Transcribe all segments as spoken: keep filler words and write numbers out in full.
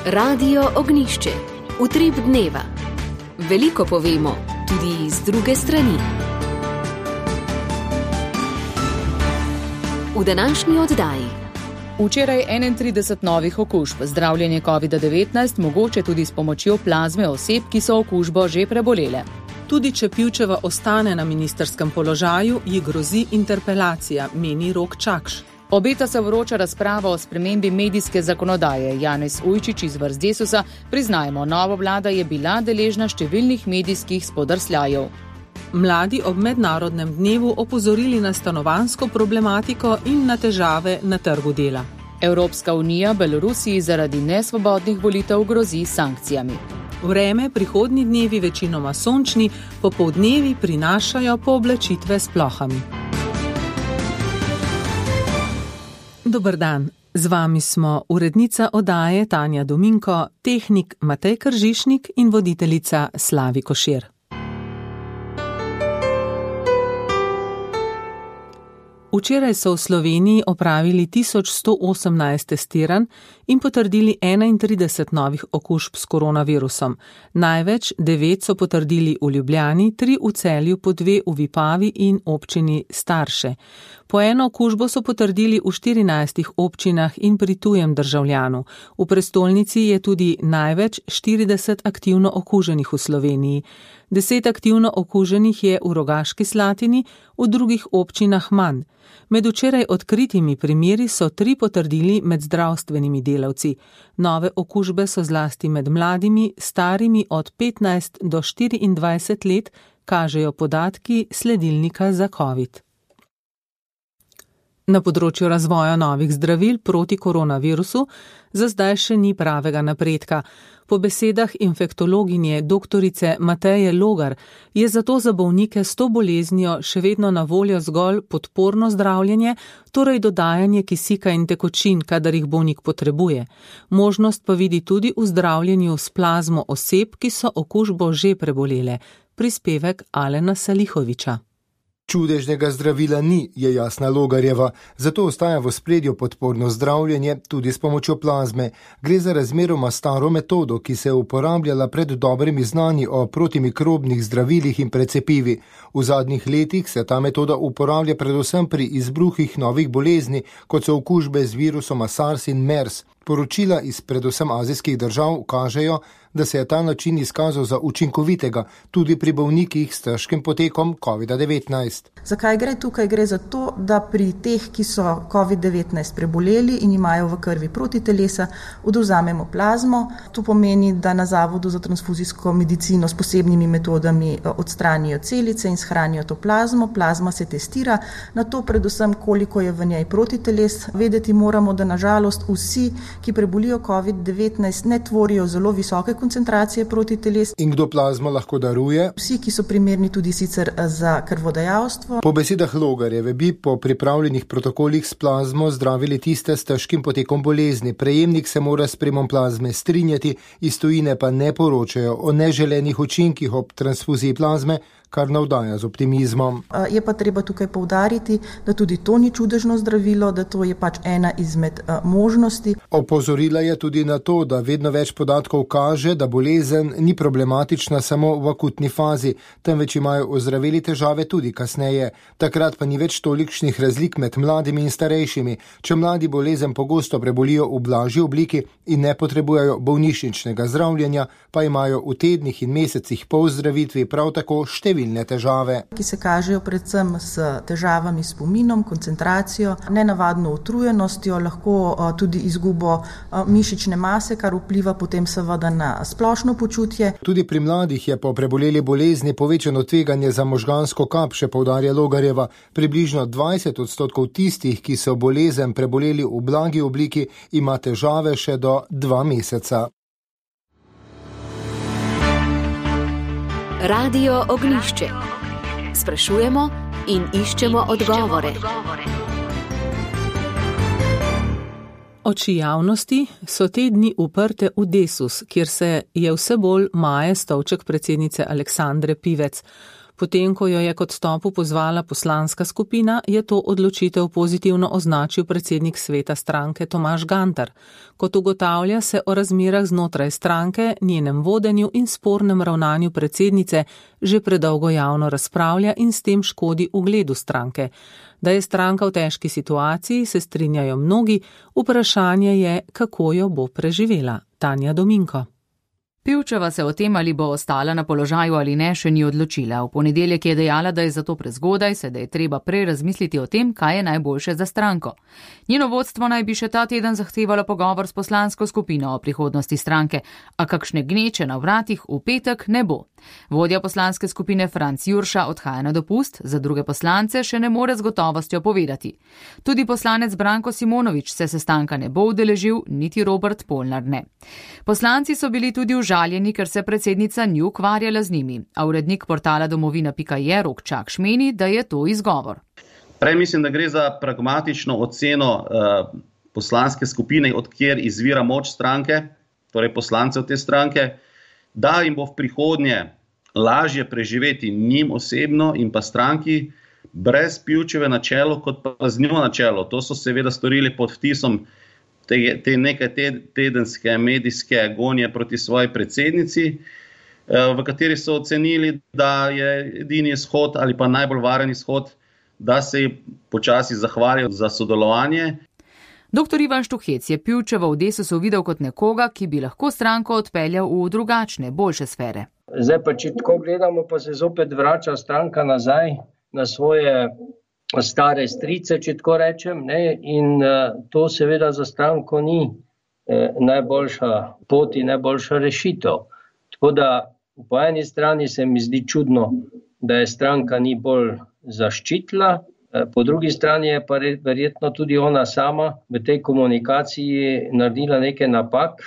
Radio Ognjišče. Utrip dneva. Veliko povemo, tudi z druge strani. V današnji oddaji. Včeraj enaintrideset novih okužb, zdravljenje covid devetnajst mogoče tudi s pomočjo plazme oseb, ki so okužbo že prebolele. Tudi če Pivčeva ostane na ministrskem položaju, ji grozi interpelacija, meni Rok Čakš. Obeta se vroča razprava o spremembi medijske zakonodaje. Janez Ujčič iz vrst Desusa, priznajmo, nova vlada je bila deležna številnih medijskih spodrsljajev. Mladi ob mednarodnem dnevu opozorili na stanovanjsko problematiko in na težave na trgu dela. Evropska unija Belorusiji zaradi nesvobodnih volitev grozi sankcijami. Vreme, prihodnji dnevi večinoma sončni, popoldnevi prinašajo pooblačitve s plohami. Dober dan, z vami smo urednica oddaje Tanja Dominko, tehnik Matej Kržišnik in voditeljica Slavi Košir. Včeraj so v Sloveniji opravili tisoč sto osemnajst testiranj in potrdili enaintrideset novih okužb s koronavirusom. Največ devet so potrdili v Ljubljani, tri v Celju, po dve v Vipavi in občini Starše. Po eno okužbo so potrdili v štirinajstih občinah in pri tujem državljanu. V prestolnici je tudi največ štirideset aktivno okuženih v Sloveniji. Deset aktivno okuženih je v Rogaški Slatini, v drugih občinah manj. Med včeraj odkritimi primeri so tri potrdili med zdravstvenimi delavci. Nove okužbe so zlasti med mladimi, starimi od petnajst do štiriindvajset let, kažejo podatki sledilnika za COVID. Na področju razvoja novih zdravil proti koronavirusu za zdaj še ni pravega napredka. Po besedah infektologinje doktorice Mateje Logar je zato za bolnike s to boleznijo še vedno na voljo zgolj podporno zdravljenje, torej dodajanje kisika in tekočin, kadar jih bolnik potrebuje. Možnost pa vidi tudi v zdravljenju s plazmo oseb, ki so okužbo že prebolele. Prispevek Alena Salihoviča. Čudežnega zdravila ni, je jasna Logarjeva, zato ostaja v ospredju podporno zdravljenje tudi s pomočjo plazme. Gre za razmeroma staro metodo, ki se je uporabljala pred dobrimi znanji o protimikrobnih zdravilih in precepivi. V zadnjih letih se ta metoda uporablja predvsem pri izbruhih novih bolezni, kot so okužbe z virusoma SARS in MERS. Poročila iz predvsem azijskih držav kažejo, da se je ta način izkazal za učinkovitega tudi pri bolnikih s težkim potekom covid devetnajst. Zakaj gre tukaj? Gre za to, da pri teh, ki so covid devetnajst preboleli in imajo v krvi protitelesa, odvzamemo plazmo. To pomeni, da na Zavodu za transfuzijsko medicino s posebnimi metodami odstranijo celice in shranijo to plazmo. Plazma se testira, na to predvsem, koliko je v njej protiteles. Vedeti moramo, da nažalost vsi, ki prebolijo covid devetnajst, ne tvorijo zelo visoke koncentracije protiteles. In kdo plazmo lahko daruje? Vsi, ki so primerni tudi sicer za krvodajalstvo. Po besedah Logarjeve bi po pripravljenih protokolih s plazmo zdravili tiste s težkim potekom bolezni. Prejemnik se mora s prejemom plazme strinjati, iz tujine pa ne poročajo o neželenih učinkih ob transfuziji plazme, kar navdaja z optimizmom. Je pa treba tukaj poudariti, da tudi to ni čudežno zdravilo, da to je pač ena izmed možnosti. Opozorila je tudi na to, da vedno več podatkov kaže, da bolezen ni problematična samo v akutni fazi, temveč imajo ozdraveli težave tudi kasneje. Takrat pa ni več tolikšnih razlik med mladimi in starejšimi. Če mladi bolezen pogosto prebolijo v blažji obliki in ne potrebujejo bolnišničnega zdravljenja, pa imajo v tednih in mesecih po ozdravitvi prav tako številne težave, ki se kažejo predvsem s težavami s spominom, koncentracijo, nenavadno utrujenostjo, lahko tudi izgubo mišične mase, kar vpliva potem seveda na splošno počutje. Tudi pri mladih je po preboleli bolezni povečano tveganje za možgansko kap, še poudarja Logarjeva. Približno dvajset odstotkov tistih, ki so bolezen preboleli v blagi obliki, ima težave še do dva meseca. Radio Ognjišče. Sprašujemo in iščemo odgovore. Oči javnosti so te dni uprte v Desus, kjer se je vse bolj maje stolček predsednice Aleksandre Pivec. Potem, ko jo je k odstopu pozvala poslanska skupina, je to odločitev pozitivno označil predsednik sveta stranke Tomaž Gantar. Kot ugotavlja, se o razmerah znotraj stranke, njenem vodenju in spornem ravnanju predsednice že predolgo javno razpravlja in s tem škodi ugledu stranke. Da je stranka v težki situaciji, se strinjajo mnogi, vprašanje je, kako jo bo preživela. Tanja Dominko. Pivčeva se o tem, ali bo ostala na položaju ali ne, še ni odločila. V ponedeljek je dejala, da je zato prezgodaj, se da je treba prej razmisliti o tem, kaj je najboljše za stranko. Njeno vodstvo naj bi še ta teden zahtevalo pogovor s poslansko skupino o prihodnosti stranke, a kakšne gneče na vratih v petek ne bo. Vodja poslanske skupine Franc Jurša odhaja na dopust, za druge poslance še ne more z gotovostjo povedati. Tudi poslanec Branko Simonovič se sestanka ne bo udeležil, niti Robert Polnar ne. Poslanci so bili tudi užaljeni, ker se predsednica ni ukvarjala z njimi, a urednik portala domovina pika je Rok Čakš meni, da je to izgovor. Prej mislim, da gre za pragmatično oceno uh, poslanske skupine, od kjer izvira moč stranke, torej poslancev te stranke, da jim bo v prihodnje lažje preživeti njim osebno in pa stranki brez Pivčeve na čelu, kot pa z njo na čelu. To so seveda storili pod vtisom te, te nekaj tedenske medijske gonje proti svoji predsednici, v kateri so ocenili, da je edini izhod ali pa najbolj varen izhod, da se ji počasi zahvalijo za sodelovanje. Doktor Ivan Štuhec je Pivčevo v Desusu videl kot nekoga, ki bi lahko stranko odpeljal v drugačne, boljše sfere. Zdaj pa, če tako gledamo, pa se zopet vrača stranka nazaj na svoje stare strice, če tako rečem, ne? In uh, to seveda za stranko ni eh, najboljša pot in najboljša rešitev. Tako da po eni strani se mi zdi čudno, da je stranka ni bolj zaščitila, po drugi strani je pa verjetno tudi ona sama v tej komunikaciji naredila nekaj napak.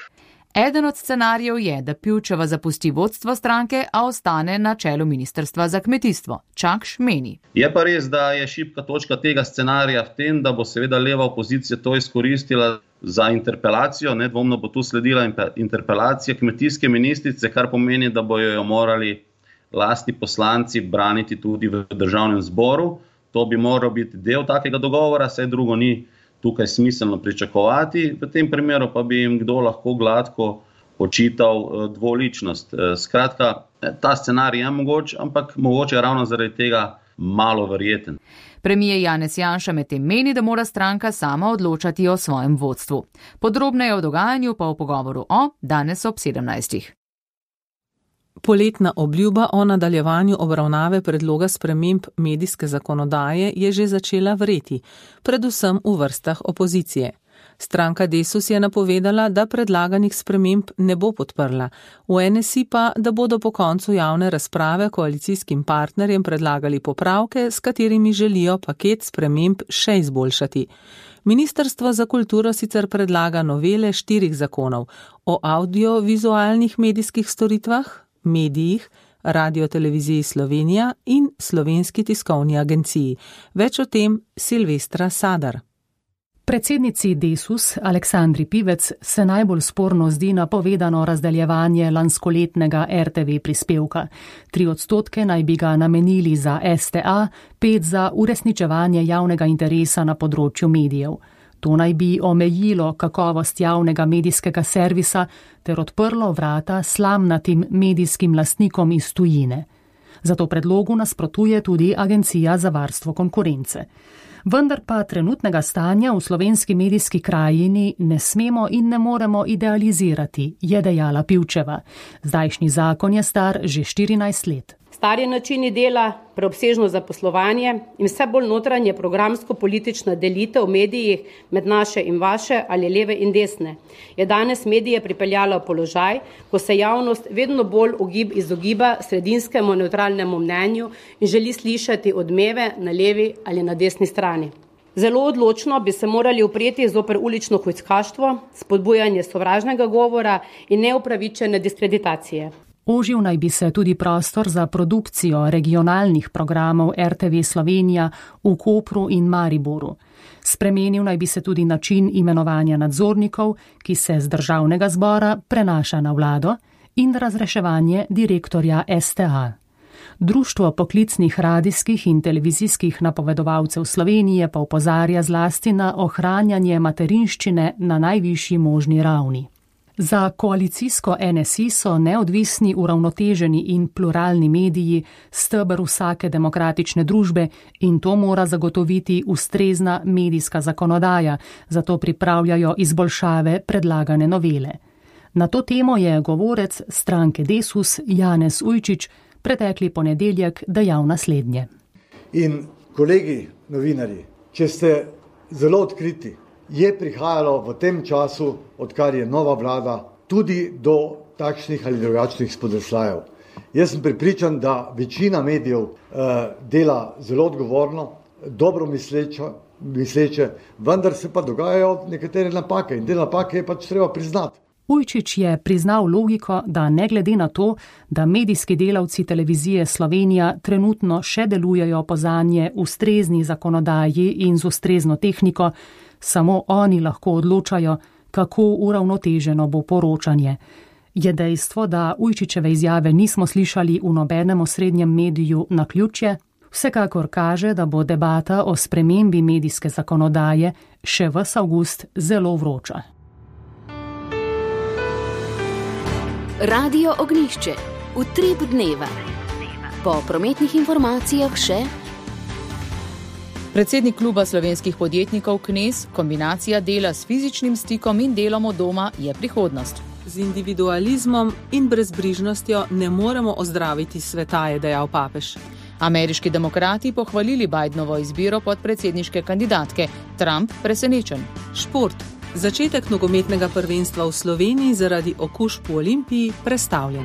Eden od scenarijev je, da Pivčeva zapusti vodstvo stranke, a ostane na čelu ministrstva za kmetijstvo. Čakš meni. Je pa res, da je šibka točka tega scenarija v tem, da bo seveda leva opozicija to izkoristila za interpelacijo. Nedvomno bo tu sledila interpelacija kmetijske ministrice, kar pomeni, da bojo jo morali lastni poslanci braniti tudi v državnem zboru. To bi moral biti del takega dogovora, saj drugo ni tukaj smiselno pričakovati. V tem primeru pa bi jim kdo lahko gladko očital dvoličnost. Skratka, ta scenarij je mogoč, ampak mogoče je ravno zaradi tega malo verjeten. Premier Janez Janša medtem meni, da mora stranka sama odločati o svojem vodstvu. Podrobneje o dogajanju pa v pogovoru o danes ob sedemnajstih. Poletna obljuba o nadaljevanju obravnave predloga sprememb medijske zakonodaje je že začela vreti, predvsem v vrstah opozicije. Stranka Desus je napovedala, da predlaganih sprememb ne bo podprla, v N S I pa, da bodo po koncu javne razprave koalicijskim partnerjem predlagali popravke, s katerimi želijo paket sprememb še izboljšati. Ministrstvo za kulturo sicer predlaga novele štirih zakonov o audiovizualnih medijskih storitvah, medijih, Radioteleviziji Slovenija in Slovenski tiskovni agenciji. Več o tem Silvestra Sadar. Predsednici Desus Aleksandri Pivec se najbolj sporno zdi napovedano razdeljevanje lanskoletnega R T V prispevka. Tri odstotke naj bi ga namenili za S T A, pet za uresničevanje javnega interesa na področju medijev. To naj bi omejilo kakovost javnega medijskega servisa ter odprlo vrata slamnatim medijskim lastnikom iz tujine. Zato predlogu nasprotuje tudi Agencija za varstvo konkurence. Vendar pa trenutnega stanja v slovenski medijski krajini ne smemo in ne moremo idealizirati, je dejala Pivčeva. Zdajšnji zakon je star že štirinajst let. Stari načini dela, preobsežno zaposlovanje in vse bolj notranje programsko-politična delitev v medijih med naše in vaše ali leve in desne je danes medije pripeljala v položaj, ko se javnost vedno bolj ogib izogiba sredinskemu neutralnemu mnenju in želi slišati odmeve na levi ali na desni strani. Zelo odločno bi se morali upreti zoper ulično hujskaštvo, spodbujanje sovražnega govora in neupravičene diskreditacije. Ožil naj bi se tudi prostor za produkcijo regionalnih programov R T V Slovenija v Kopru in Mariboru. Spremenil naj bi se tudi način imenovanja nadzornikov, ki se z državnega zbora prenaša na vlado, in razreševanje direktorja S T A. Društvo poklicnih radijskih in televizijskih napovedovalcev Slovenije pa opozarja zlasti na ohranjanje materinščine na najvišji možni ravni. Za koalicijsko N S I so neodvisni, uravnoteženi in pluralni mediji steber vsake demokratične družbe in to mora zagotoviti ustrezna medijska zakonodaja, zato pripravljajo izboljšave predlagane novele. Na to temo je govorec stranke Desus Janez Ujčič pretekli ponedeljek dejal naslednje. In kolegi novinarji, če ste zelo odkriti, je prihajalo v tem času, odkar je nova vlada, tudi do takšnih ali drugačnih spodrsljajev. Jaz sem prepričan, da večina medijev eh, dela zelo odgovorno, dobro misleče, misleče, vendar se pa dogajajo nekatere napake in te napake je pač treba priznati. Ujčič je priznal logiko, da ne glede na to, da medijski delavci televizije Slovenija trenutno še delujejo po zanje ustrezni zakonodaji in z ustrezno tehniko, samo oni lahko odločajo, kako uravnoteženo bo poročanje. Je dejstvo, da Ujčičeve izjave nismo slišali v nobenem osrednjem mediju naključje, vsekakor kaže, da bo debata o spremembi medijske zakonodaje še ves avgust zelo vroča. Radio Ognjišče, utrip dneva. Po prometnih informacijah še predsednik kluba slovenskih podjetnikov Knez, kombinacija dela s fizičnim stikom in delom od doma je prihodnost. Z individualizmom in brezbrižnostjo ne moremo ozdraviti sveta, je dejal papež. Ameriški demokrati pohvalili Bidenovo izbiro podpredsedniške kandidatke, Trump presenečen. Šport. Začetek nogometnega prvenstva v Sloveniji zaradi okužb v Olimpiji prestavljen.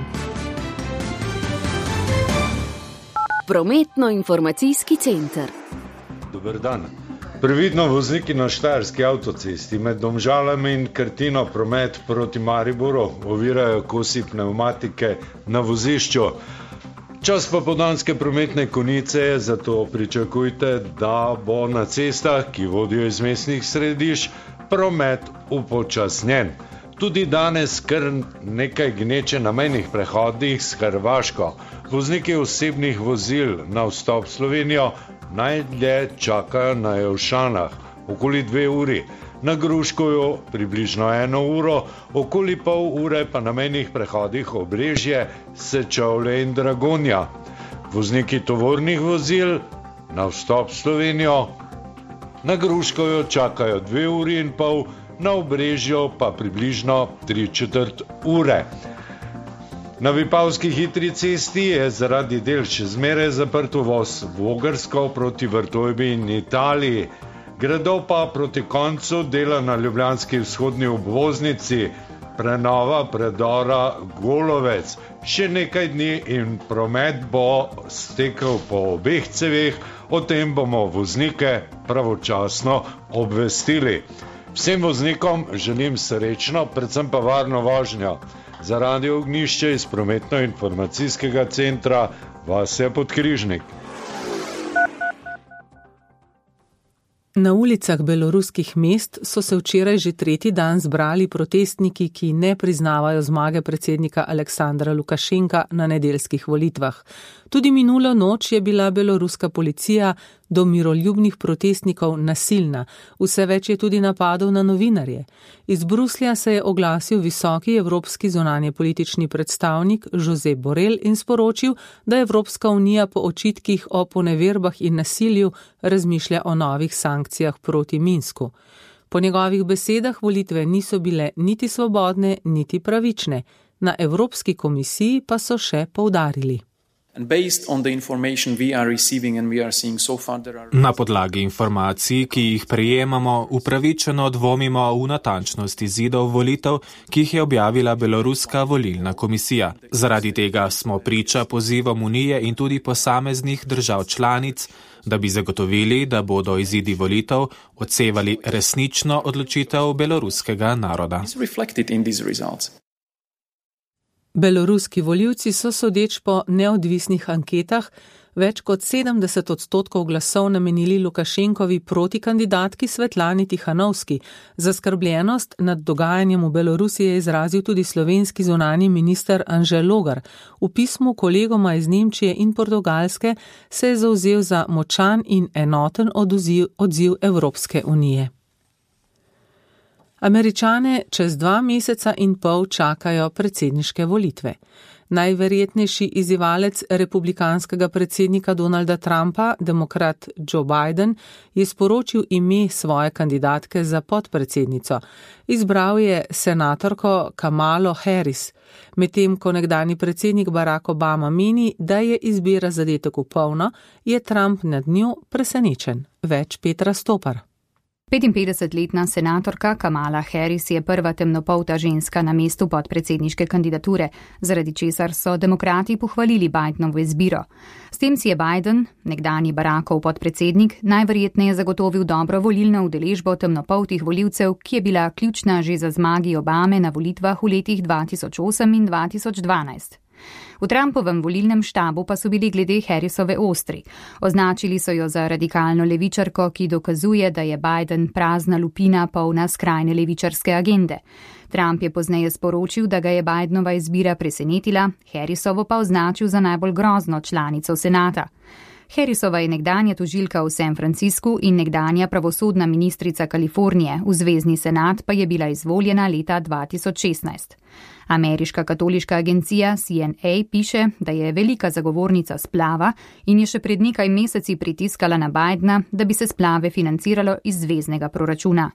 Prometno-informacijski center. Dober dan. Previdno vozniki na štajerski avtocesti med Domžalami in Krtino promet proti Mariboru ovirajo kosi pnevmatike na vozišču. Čas popoldanske prometne konice je, zato pričakujte, da bo na cestah, ki vodijo iz mestnih središč, promet upočasnjen. Tudi danes kar nekaj gneče na mejnih prehodih s Hrvaško. Vozniki osebnih vozil na vstop v Slovenijo najdlje čakajo na Jelšanah, okoli dve uri, na Gruškovju približno eno uro, okoli pol ure pa na mejnih prehodih Obrežje, Sečovlje in Dragonja. Vozniki tovornih vozil na vstop v Slovenijo na Gruškovju čakajo dve uri in pol, na Obrežju pa približno tri četrt ure. Na Vipavski hitri cesti je zaradi del še zmeraj zaprt uvoz v Vogrsko proti Vrtojbi in Italiji. Gredo pa proti koncu dela na ljubljanski vzhodni obvoznici, prenova predora Golovec. Še nekaj dni in promet bo stekel po obeh ceveh, o tem bomo voznike pravočasno obvestili. Vsem voznikom želim srečno, predvsem pa varno vožnjo. Za Radio Ognjišče iz prometno-informacijskega centra Vasja Podkrižnik. Na ulicah beloruskih mest so se včeraj že tretji dan zbrali protestniki, ki ne priznavajo zmage predsednika Aleksandra Lukašenka na nedeljskih volitvah. Tudi minulo noč je bila beloruska policija do miroljubnih protestnikov nasilna. Vse več je tudi napadov na novinarje. Iz Bruslja se je oglasil visoki evropski zunanjepolitični predstavnik Josep Borrell in sporočil, da Evropska unija po očitkih o poneverbah in nasilju razmišlja o novih sankcijah proti Minsku. Po njegovih besedah volitve niso bile niti svobodne, niti pravične. Na Evropski komisiji pa so še poudarili. Na podlagi informacij, ki jih prejemamo, upravičeno dvomimo v natančnost izidov volitev, ki jih je objavila Beloruska volilna komisija. Zaradi tega smo priča pozivom Unije in tudi posameznih držav članic, da bi zagotovili, da bodo izidi volitev odsevali resnično odločitev beloruskega naroda. Beloruski volivci so sodeč po neodvisnih anketah več kot sedemdeset odstotkov glasov namenili Lukašenkovi protikandidatki Svetlani Tihanovski. Zaskrbljenost nad dogajanjem v Belorusiji je izrazil tudi slovenski zunanji minister Anže Logar. V pismu kolegoma iz Nemčije in Portugalske se je zavzel za močan in enoten odziv, odziv Evropske unije. Američane čez dva meseca in pol čakajo predsedniške volitve. Najverjetnejši izzivalec republikanskega predsednika Donalda Trumpa, demokrat Joe Biden, je sporočil ime svoje kandidatke za podpredsednico. Izbral je senatorko Kamalo Harris, medtem ko nekdanji predsednik Barack Obama meni, da je izbira zadetek v polno, je Trump nad njo presenečen. Več Petra Stopar. petinpetdesetletna senatorka Kamala Harris je prva temnopolta ženska na mestu podpredsedniške kandidature, zaradi česar so demokrati pohvalili Bidenovo izbiro. S tem si je Biden, nekdanji Barackov podpredsednik, najverjetneje zagotovil dobro volilno udeležbo temnopoltih volivcev, ki je bila ključna že za zmagi Obame na volitvah v letih dva tisoč osem in dva tisoč dvanajst. V Trumpovem volilnem štabu pa so bili glede Harrisove ostri. Označili so jo za radikalno levičarko, ki dokazuje, da je Biden prazna lupina polna skrajne levičarske agende. Trump je pozneje sporočil, da ga je Bidenova izbira presenetila, Harrisovo pa označil za najbolj grozno članico senata. Harrisova je nekdanja tožilka v San Franciscu in nekdanja pravosodna ministrica Kalifornije, v zvezni senat pa je bila izvoljena leta dva tisoč šestnajst. Ameriška katoliška agencija C N A piše, da je velika zagovornica splava in je še pred nekaj meseci pritiskala na Bidena, da bi se splave financiralo iz zveznega proračuna.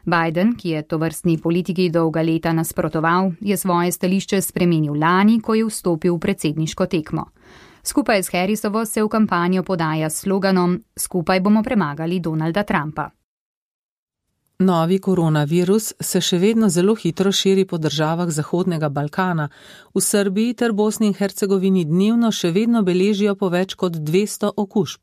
Biden, ki je tovrstni politiki dolga leta nasprotoval, je svoje stališče spremenil lani, ko je vstopil v predsedniško tekmo. Skupaj s Harrisovo se v kampanjo podaja s sloganom "Skupaj bomo premagali Donalda Trumpa". Novi koronavirus se še vedno zelo hitro širi po državah Zahodnega Balkana. V Srbiji ter Bosni in Hercegovini dnevno še vedno beležijo po več kot dvesto okužb.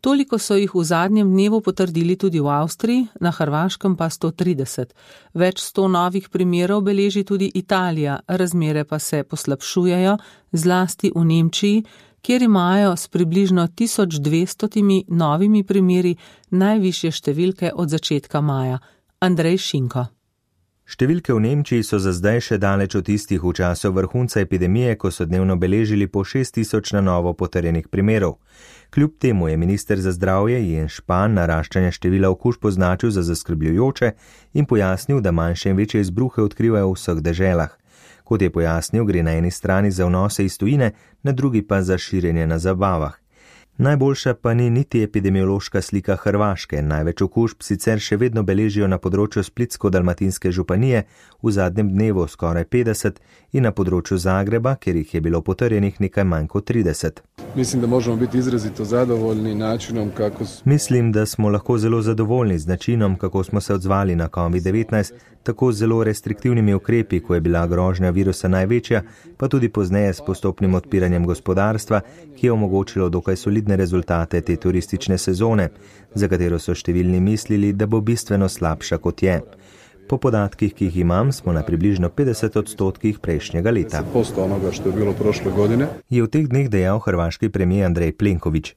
Toliko so jih v zadnjem dnevu potrdili tudi v Avstriji, na Hrvaškem pa sto trideset. Več sto novih primerov beleži tudi Italija, razmere pa se poslabšujejo, zlasti v Nemčiji, kjer imajo s približno tisoč dvestotimi novimi primeri najvišje številke od začetka maja. Andrej Šinko. Številke v Nemčiji so za zdaj še daleč od tistih v času vrhunca epidemije, ko so dnevno beležili po šest tisoč na novo potrjenih primerov. Kljub temu je minister za zdravje Jens Spahn naraščanje števila okužb označil za zaskrbljujoče in pojasnil, da manjše in večje izbruhe odkrivajo v vseh deželah. Kot je pojasnil, gre na eni strani za vnose iz tujine, na drugi pa za širjenje na zabavah. Najboljša pa ni niti epidemiološka slika Hrvaške. Največ okužb sicer še vedno beležijo na področju Splitsko-dalmatinske županije, v zadnjem dnevu skoraj petdeset, in na področju Zagreba, kjer jih je bilo potrjenih nekaj manj kot trideset. Mislim, da možemo biti izrazito zadovoljni načinom, kako smo... Mislim, da smo lahko zelo zadovoljni z načinom, kako smo se odzvali na covid devetnajst, tako zelo restriktivnimi ukrepi, ko je bila grožnja virusa največja, pa tudi pozneje s postopnim odpiranjem gospodarstva, ki je omogočilo dokaj solidne rezultate te turistične sezone, za katero so številni mislili, da bo bistveno slabša kot je. Po podatkih, ki jih imam, smo na približno petdeset odstotkih prejšnjega leta. Onoga, što je bilo prošle godine. Je v teh dneh dejal hrvaški premijer Andrej Plenković.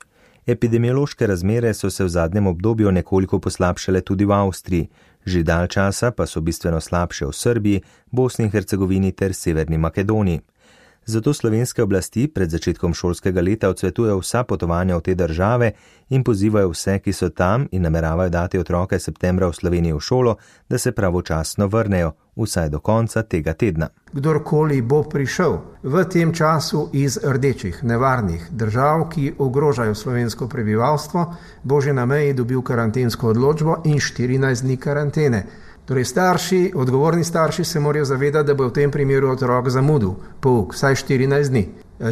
Epidemiološke razmere so se v zadnjem obdobju nekoliko poslabšale tudi v Avstriji, že dalj časa pa so bistveno slabše v Srbiji, Bosni in Hercegovini ter Severni Makedoniji. Zato slovenske oblasti pred začetkom šolskega leta odsvetujejo vsa potovanja v te države in pozivajo vse, ki so tam in nameravajo dati otroke septembra v Sloveniji v šolo, da se pravočasno vrnejo, vsaj do konca tega tedna. Kdorkoli bo prišel v tem času iz rdečih, nevarnih držav, ki ogrožajo slovensko prebivalstvo, bo že na meji dobil karantensko odločbo in štirinajst dni karantene. Torej starši, odgovorni starši se morajo zavedati, da bo v tem primeru otrok zamudil pouk vsaj štirinajst dni,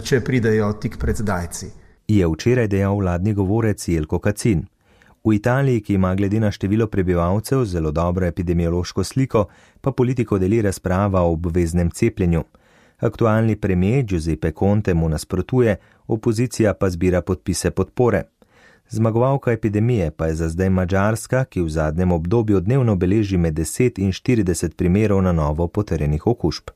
če pridejo tik pred zdajci. Je včeraj dejal vladni govorec Jelko Kacin. V Italiji, ki ima glede na število prebivalcev zelo dobro epidemiološko sliko, pa politiko deli razprava o obveznem cepljenju. Aktualni premijer Giuseppe Conte mu nasprotuje, opozicija pa zbira podpise podpore. Zmagovalka epidemije pa je za zdaj Madžarska, ki v zadnjem obdobju dnevno beleži med deset in štirideset primerov na novo potrjenih okužb.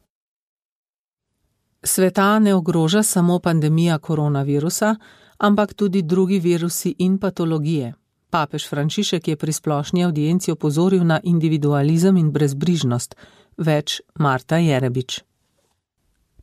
Sveta ne ogroža samo pandemija koronavirusa, ampak tudi drugi virusi in patologije. Papež Frančišek je pri splošni avdienci opozoril na individualizem in brezbrižnost. Več Marta Jerebič.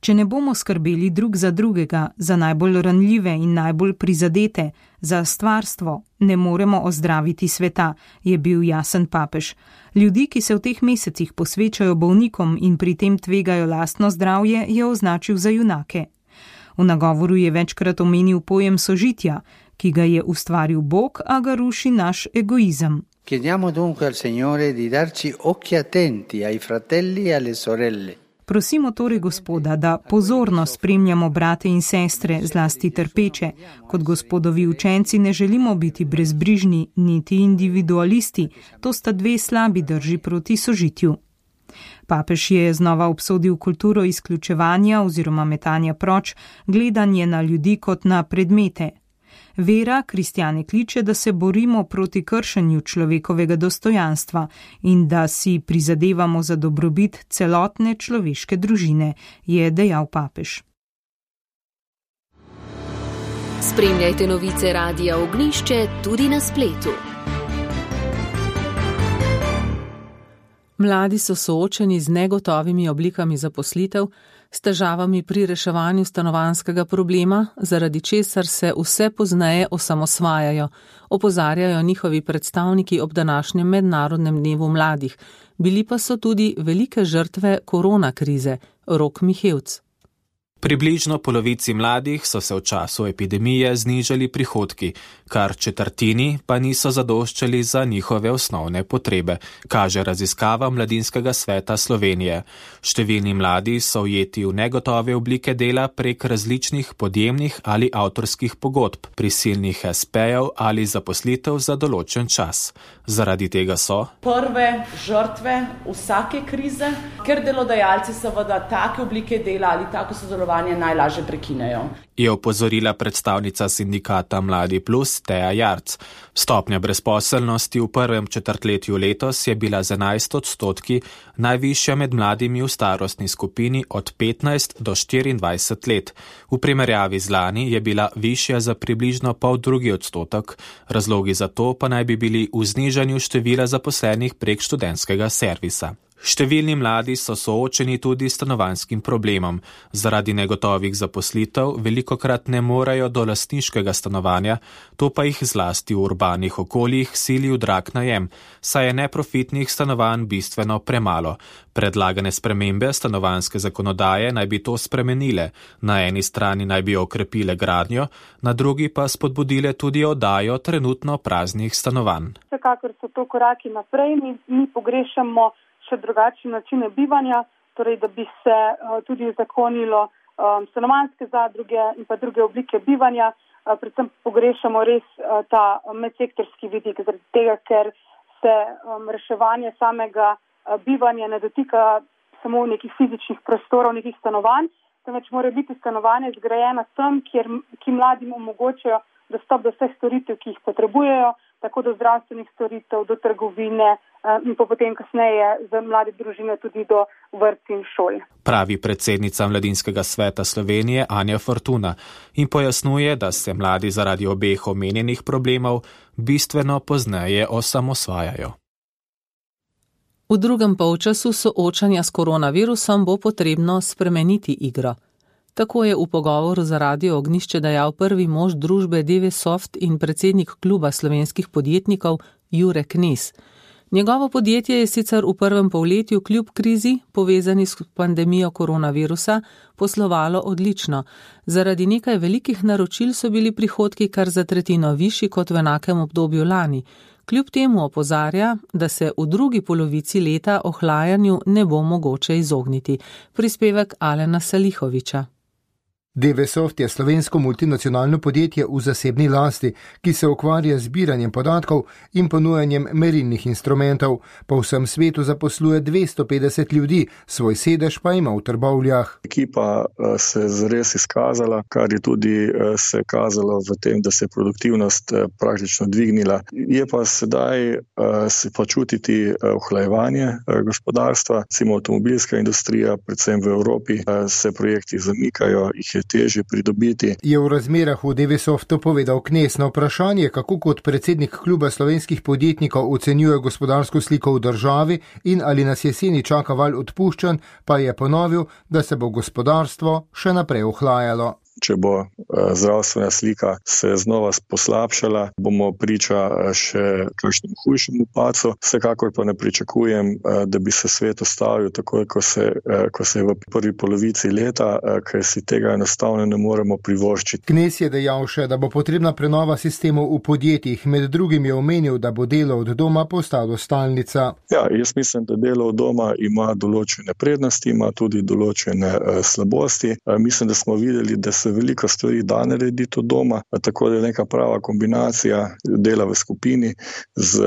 Če ne bomo skrbeli drug za drugega, za najbolj ranljive in najbolj prizadete, za stvarstvo, ne moremo ozdraviti sveta, je bil jasen papež. Ljudi, ki se v teh mesecih posvečajo bolnikom in pri tem tvegajo lastno zdravje, je označil za junake. V nagovoru je večkrat omenil pojem sožitja, ki ga je ustvaril Bog, a ga ruši naš egoizem. Chiediamo dunque al Signore di darci occhi attenti ai fratelli e alle sorelle. Prosimo torej Gospoda, da pozorno spremljamo brate in sestre, zlasti trpeče. Kot Gospodovi učenci ne želimo biti brezbrižni, niti individualisti. To sta dve slabi drži proti sožitju. Papež je znova obsodil kulturo izključevanja oziroma metanja proč, gledanje na ljudi kot na predmete. Vera kristjane kliče, da se borimo proti kršenju človekovega dostojanstva in da si prizadevamo za dobrobit celotne človeške družine, je dejal papež. Spremljajte novice Radia Ognjišče tudi na spletu. Mladi so soočeni z negotovimi oblikami zaposlitev, s težavami pri reševanju stanovanjskega problema, zaradi česar se vse pozneje osamosvajajo, opozarjajo njihovi predstavniki ob današnjem mednarodnem dnevu mladih. Bili pa so tudi velike žrtve korona krize. Rok Mihevc. Približno polovici mladih so se v času epidemije znižali prihodki, kar četrtini pa niso zadoščali za njihove osnovne potrebe, kaže raziskava Mladinskega sveta Slovenije. Številni mladi so ujeti v negotove oblike dela prek različnih podjemnih ali avtorskih pogodb, prisilnih espejev ali zaposlitev za določen čas. Zaradi tega so prve žrtve vsake krize, ker delodajalci seveda take oblike dela ali tako sodelovanje najlažje prekinejo. Je opozorila predstavnica sindikata Mladi Plus Teja Jarc. Stopnja brezposelnosti v prvem četrtletju letos je bila z enajst odstotki najvišja med mladimi v starostni skupini od petnajst do štiriindvajset let. V primerjavi z lani je bila višja za približno pol drugi odstotek, razlogi za to pa naj bi bili v znižanju števila zaposlenih prek študentskega servisa. Številni mladi so soočeni tudi s stanovanjskim problemom. Zaradi negotovih zaposlitev velikokrat ne morejo do lastniškega stanovanja, to pa jih zlasti v urbanih okoljih sili v drag najem, saj je neprofitnih stanovanj bistveno premalo. Predlagane spremembe stanovanjske zakonodaje naj bi to spremenile. Na eni strani naj bi okrepile gradnjo, na drugi pa spodbudile tudi oddajo trenutno praznih stanovanj. Vsekakor so to koraki naprej, mi, mi pogrešamo še drugačne načine bivanja, torej da bi se uh, tudi uzakonilo um, stanovanjske zadruge in pa druge oblike bivanja. Uh, predvsem pogrešamo res uh, ta medsektorski vidik, zaradi tega, ker se um, reševanje samega uh, bivanja ne dotika samo nekih fizičnih prostorov, nekih stanovanj, temveč mora biti stanovanje zgrajena tam, kjer, ki mladim omogočajo dostop do vseh storitev, ki jih potrebujejo, tako do zdravstvenih storitev, do trgovine in pa potem kasneje za mlade družine tudi do vrtc in šol. Pravi predsednica Mladinskega sveta Slovenije Anja Fortuna in pojasnjuje, da se mladi zaradi obeh omenjenih problemov bistveno pozneje osamosvajajo. V drugem polčasu soočanja s koronavirusom bo potrebno spremeniti igro. Tako je v pogovoru za Radio Ognjišče dejal prvi mož družbe Devesoft in predsednik kluba slovenskih podjetnikov Jure Knez. Njegovo podjetje je sicer v prvem polletju kljub krizi, povezani s pandemijo koronavirusa, poslovalo odlično. Zaradi nekaj velikih naročil so bili prihodki kar za tretjino višji kot v enakem obdobju lani. Kljub temu opozarja, da se v drugi polovici leta ohlajanju ne bo mogoče izogniti. Prispevek Alena Salihoviča. Devesoft je slovensko multinacionalno podjetje v zasebni lasti, ki se ukvarja z zbiranjem podatkov in ponujanjem merilnih instrumentov. Po vsem svetu zaposluje dvesto petdeset ljudi, svoj sedež pa ima v Trbovljah. Ekipa se je zares izkazala, kar je tudi se kazalo v tem, da se je produktivnost praktično dvignila. Je pa sedaj se pa čutiti ohlajevanje gospodarstva, recimo avtomobilska industrija, predvsem v Evropi, se projekti zamikajo, jih je težje pridobiti. Je v razmerah v Devesoftu povedal Knez. Na vprašanje, kako kot predsednik kluba slovenskih podjetnikov ocenjuje gospodarsko sliko v državi in ali nas jeseni čaka val odpuščanj, pa je ponovil, da se bo gospodarstvo še naprej ohlajalo. Če bo zdravstvena slika se znova poslabšala, bomo priča še kakšnemu hujšemu padcu. Vsekakor pa ne pričakujem, da bi se svet ustavil takoj, ko se, ko se je v prvi polovici leta, ker si tega enostavno ne moremo privoščiti. Knez je dejal še, da bo potrebna prenova sistemov v podjetjih. Med drugim je omenil, da bo delo od doma postalo stalnica. Ja, jaz mislim, da delo od doma ima določene prednosti, ima tudi določene slabosti. Mislim, da smo videli, da se veliko stvari da narediti od doma, tako da je neka prava kombinacija dela v skupini z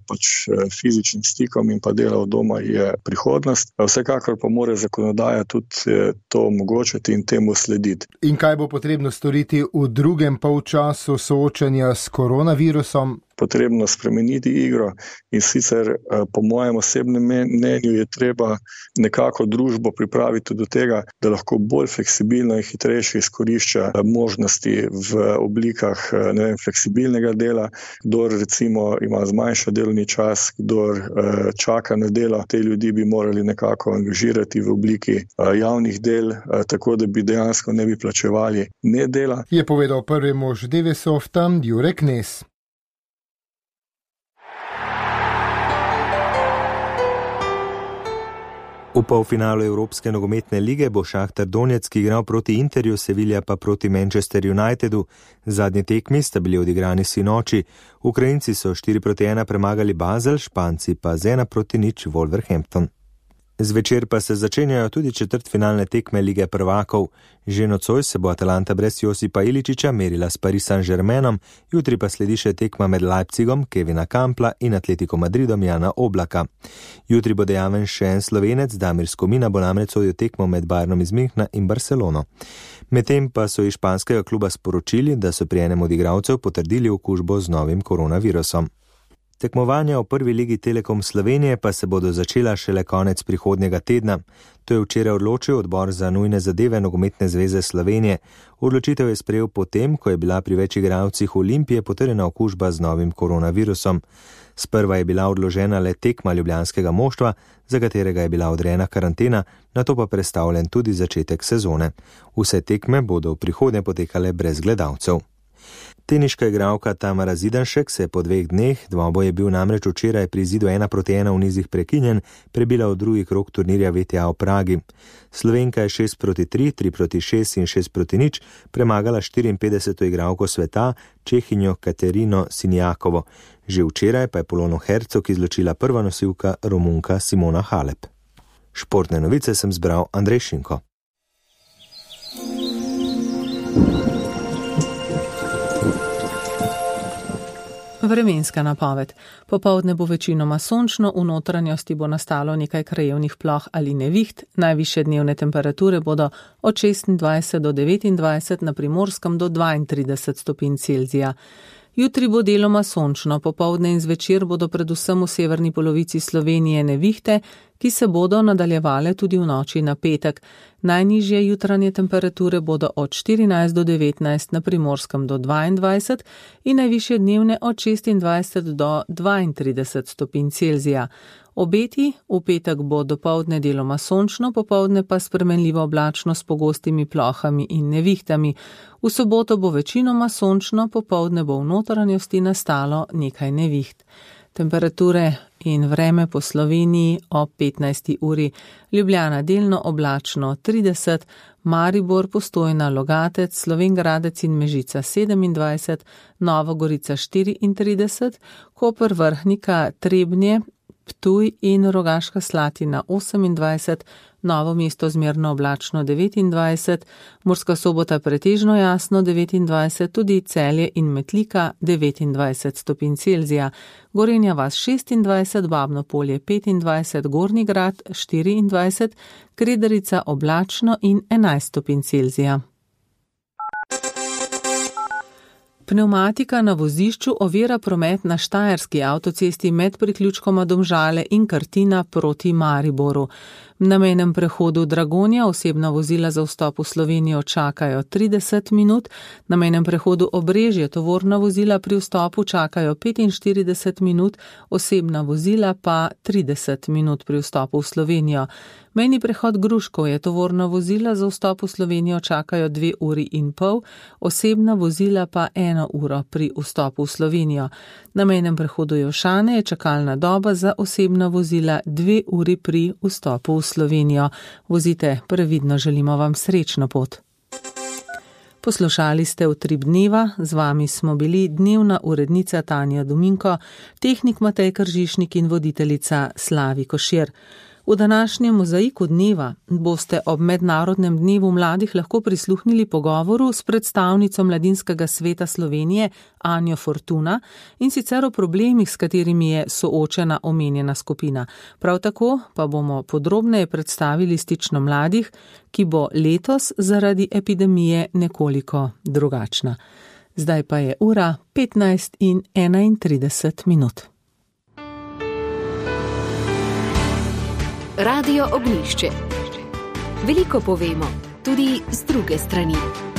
pač fizičnim stikom in pa dela od doma je prihodnost. Vsekakor pa mora zakonodaja tudi to omogočiti in temu slediti. In kaj bo potrebno storiti v drugem polčasu soočanja s koronavirusom? Potrebno spremeniti igro in sicer po mojem osebnem mnenju je treba nekako družbo pripraviti do tega, da lahko bolj fleksibilno in hitrejše izkorišča možnosti v oblikah ne vem, fleksibilnega dela, kdor recimo ima zmanjša delovni čas, kdor čaka na delo, te ljudi bi morali nekako angažirati v obliki javnih del, tako da bi dejansko ne bi plačevali ne dela. Je povedal prvi mož Devesofta Jure Knez. V polfinalu Evropske nogometne lige bo Šahtar Donetsk igral proti Interju, Sevilla pa proti Manchester Unitedu. Zadnji tekmi sta bili odigrani sinoči. Ukrajinci so štiri proti ena premagali Basel, Španci pa z ena proti nič Wolverhampton. Zvečer pa se začenjajo tudi četrtfinalne tekme Lige prvakov. Že nocoj se bo Atalanta brez Josipa Iličiča merila s Paris Saint-Germainom, jutri pa sledi še tekma med Leipzigom, Kevina Kampla in Atletico Madridom Jana Oblaka. Jutri bo dejaven še en Slovenec, Damir Skomina bo namreč sodil tekmo med Bayernom iz Münchna in Barcelono. Medtem pa so iz španskega kluba sporočili, da so pri enem od igralcev potrdili okužbo z novim koronavirusom. Tekmovanja v prvi ligi Telekom Slovenije pa se bodo začela šele konec prihodnjega tedna. To je včeraj odločil odbor za nujne zadeve Nogometne zveze Slovenije. Odločitev je sprejel potem, ko je bila pri več igralcih Olimpije potrjena okužba z novim koronavirusom. Sprva je bila odložena le tekma ljubljanskega moštva, za katerega je bila odrejena karantena, nato pa prestavljen tudi začetek sezone. Vse tekme bodo v prihodnje potekale brez gledalcev. Teniška igralka Tamara Zidanšek se je po dveh dneh, dvoboj je bil namreč včeraj pri izidu ena proti ena v nizih prekinjen, prebila v drugi krog turnirja V T A v Pragi. Slovenka je šest proti tri, tri proti šest in šest proti nič premagala štiriinpetdeseto igralko sveta, Čehinjo Katerino Sinjakovo. Že včeraj pa je Polono Hercog izločila prva nosilka Romunka Simona Halep. Športne novice sem zbral Andrej Šinko. Vremenska napoved. Popoldne bo večinoma sončno, v notranjosti bo nastalo nekaj krajevnih ploh ali neviht, najvišje dnevne temperature bodo od šestindvajset do devetindvajset, na Primorskem do dvaintrideset stopinj Celzija. Jutri bo deloma sončno, popoldne in zvečer bodo predvsem v severni polovici Slovenije nevihte, ki se bodo nadaljevale tudi v noči na petek. Najnižje jutranje temperature bodo od štirinajst do devetnajst, na Primorskem do dvaindvajset in najvišje dnevne od šestindvajset do dvaintrideset stopinj Celzija. Obeti: v petek bo dopoldne deloma sončno, popoldne pa spremenljivo oblačno s pogostimi plohami in nevihtami. V soboto bo večinoma sončno, popoldne bo v notranjosti nastalo nekaj neviht. Temperature in vreme po Sloveniji ob petnajsti uri. Ljubljana delno oblačno trideset, Maribor, Postojna, Logatec, Slovenj Gradec in Mežica sedemindvajset, Nova Gorica štiriintrideset, Koper, Vrhnika, Trebnje, Ptuj in Rogaška Slatina osemindvajset, Novo mesto zmerno oblačno devetindvajset, Murska Sobota pretežno jasno devetindvajset, tudi Celje in Metlika devetindvajset stopinj Celzija, Gorenja vas šestindvajset, Babno Polje petindvajset, Gornji Grad štiriindvajset, Kredarica oblačno in enajst stopinj Celzija. Pneumatika na vozišču ovira promet na štajerski avtocesti med priključkoma Domžale in Krtina proti Mariboru. Na mejnem prehodu Dragonja osebna vozila za vstop v Slovenijo čakajo trideset minut, na mejnem prehodu Obrežje tovorna vozila pri vstopu čakajo petinštirideset minut, osebna vozila pa trideset minut pri vstopu v Slovenijo. Mejni prehod Gruškov je tovorna vozila za vstop v Slovenijo čakajo dve uri in pol, osebna vozila pa eno uro pri vstopu v Slovenijo. Na mejnem prehodu Jošane je čakalna doba za osebna vozila dve uri pri vstopu v Slovenijo. Vozite previdno, želimo vam srečno pot. Poslušali ste Utrip dneva, z vami smo bili dnevna urednica Tanja Dominko, tehnik Matej Kržišnik in voditeljica Slavi Košir. V današnjem mozaiku dneva boste ob Mednarodnem dnevu mladih lahko prisluhnili pogovoru s predstavnico Mladinskega sveta Slovenije Anjo Fortuna in sicer o problemih, s katerimi je soočena omenjena skupina. Prav tako pa bomo podrobneje predstavili stično mladih, ki bo letos zaradi epidemije nekoliko drugačna. Zdaj pa je ura petnajst in enaintrideset minut. Radio Ognjišče. Veliko povemo, tudi z druge strani.